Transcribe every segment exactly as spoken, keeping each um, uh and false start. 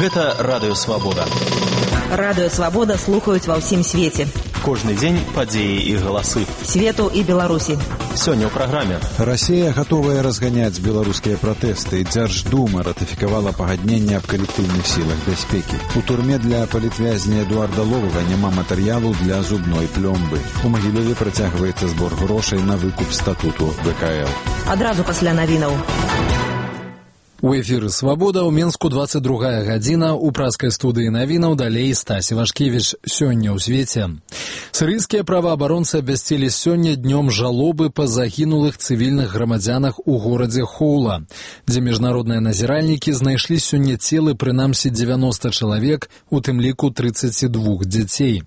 Гэта Радыё Свабода. Радыё Свабода слухаюць ва ўсім свеце. Кожны дзень падзеі і галасы. Свету і Беларусі. Сёння ў праграме. Расія гатовая разганяць беларускія пратэсты. Дзярждума ратыфікавала пагадненне аб калектыўных сілах бяспекі. У турме для палітвязня Эдуарда Ловага няма матэрыялу для зубной плёмбы. У Магілёве працягваецца збор грошай на выкуп статуту вэ ка эл. Адразу пасля навінаў. У эфіры «Свабода» ў Менску двадцать другая гадзіна. У праскай студыі навінаў далей Стась Івашкевіч. Сёння ў свеце. Сірыйскія праваабаронцы абвясцілі сёння днём жалобы па загінулых цывільных грамадзянах у горадзе Хоула, дзе міжнародныя назіральнікі знайшлі сёння целы прынамсі дзевяноста чалавек, у тым ліку тридцать два дзяцей.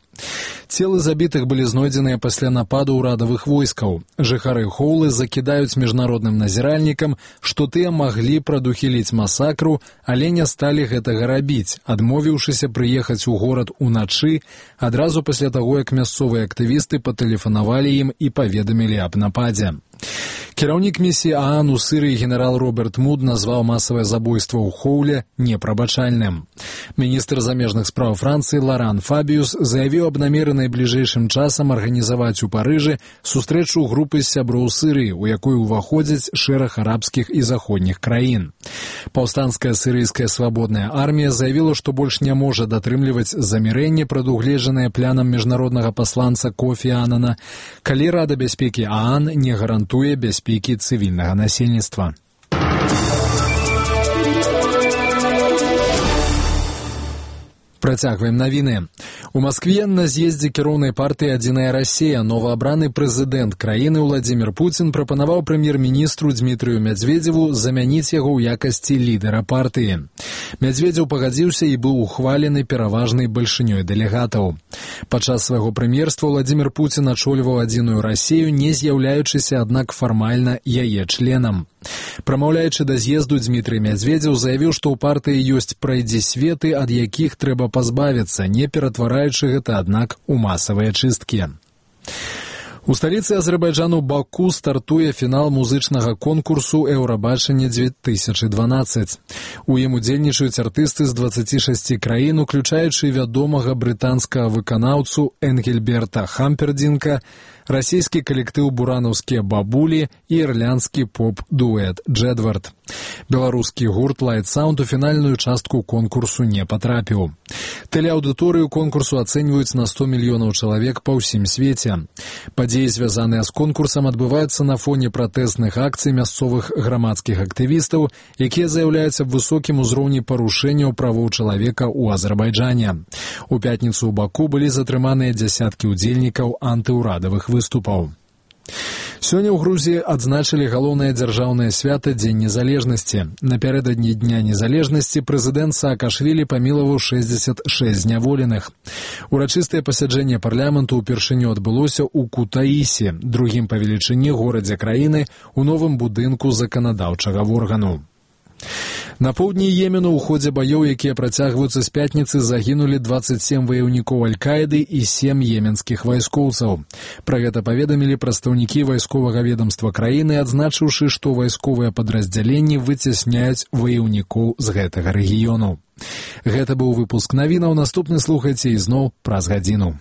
Целы забітых былі знойдзеныя пасля нападу ўрадавых войскаў. Жыхары Хоулы закідаюць міжнародным назіральнікам, што тыя маглі прадухіліць масакру, але не сталі гэтага рабіць, адмовіўшыся прыехаць у горад уначы, адразу пасля таго, як мясцовыя актывісты патэлефанавалі ім і паведамілі аб нападзе. Кіраўнік місіі ААН у Сірыі генерал Роберт Муд назваў масавае забойства ў Хоуле непрабачальным. Міністр замежных спраў Францыі Лоран Фабіус заявіў аб намеры найбліжэйшым часам арганізаваць у Парыжы сустрэчу групы сяброў Сірыі, у якой уваходзяць шэраг арабскіх і заходніх краін. Паўстанцкая сірыйская свабодная армія заявіла, што больш не можа датрымліваць замірэнне, прадугледжанае планам міжнароднага пасланца Кофі Анана, калі Рада бяспекі ААН не гарантуе бяспекі цывільнага насельніцтва. Працягваем навіны. У Маскве на з'ездзе кіроўнай партыі «Адзіная Расія» новаабраны прэзідэнт краіны Владзімір Пуцін прапанаваў прэм'ер-міністру Дмітрыю Мядзведзеву замяніць яго ў якасці лідара партыі. Мядзведзеў пагадзіўся і быў ухвалены пераважнай бальшынёй дэлегатаў. Падчас свайго прэм'ерства Владзімір Пуцін ачольваў «Адзіную Расію», не з'яўляючыся, аднак, фармальна яе членам. Прамаўляючы да з'езду, Дмітрый Мядзведзеў заявіў, што ў партыі ёсць прайдзісветы, ад якіх трэба пазбавіцца, не ператвараючы гэта, аднак, у масавыя чысткі. У сталіцы Азербайджану Баку стартуе фінал музычнага конкурсу «Еўрабачанне две тысячи дванадцать». У ім удзельнічаюць артысты з дваццаці шасці краін, уключаючы вядомага брытанскага выканаўцу Энгельберта Хампердинка, расійскі калектыў «Буранаўскія бабулі» і ірландскі поп-дуэт «Джэдвард». Беларускі гурт «Light Sound» у фінальную частку конкурсу не патрапіў. Тэлеаўдыторыю конкурсу ацэньваюць на сто мільёнаў чалавек па ўсім свеце. Падзеі, звязаныя з конкурсам, адбываюцца на фоне пратэстных акцый мясцовых грамадскіх актывістаў, якія заяўляюць аб высокім узроўні парушэнняў правоў чалавека ў Азербайджане. У пятніцу ў Баку былі затрыманыя дзясяткі ўдзельнікаў антыўрадавых выступаў. Сёння ў Грузіі адзначылі галоўнае дзяржаўнае свята Дзень незалежнасці. Напярэдадні Дня незалежнасці прэзідэнт Саакашвілі памілаваў шэсцьдзесят шэсць зняволеных. Урачыстае пасяджэнне парламенту ўпершыню адбылося ў Кутаісе, другім па велічыні горадзе краіны, у новым будынку заканадаўчага органу. На поўдні Йемену ў ходзе баёў, якія працягваюцца з пятніцы, загінулі дваццаць сем ваяўнікоў Аль-Каіды і сем йеменскіх вайскоўцаў. Пра гэта паведамілі прадстаўнікі вайсковага ведамства краіны, адзначыўшы, што вайсковыя падраздзяленні выцясняюць ваяўнікоў з гэтага рэгіёну. Гэта быў выпуск навінаў. Наступны слухайце ізноў праз гадзіну.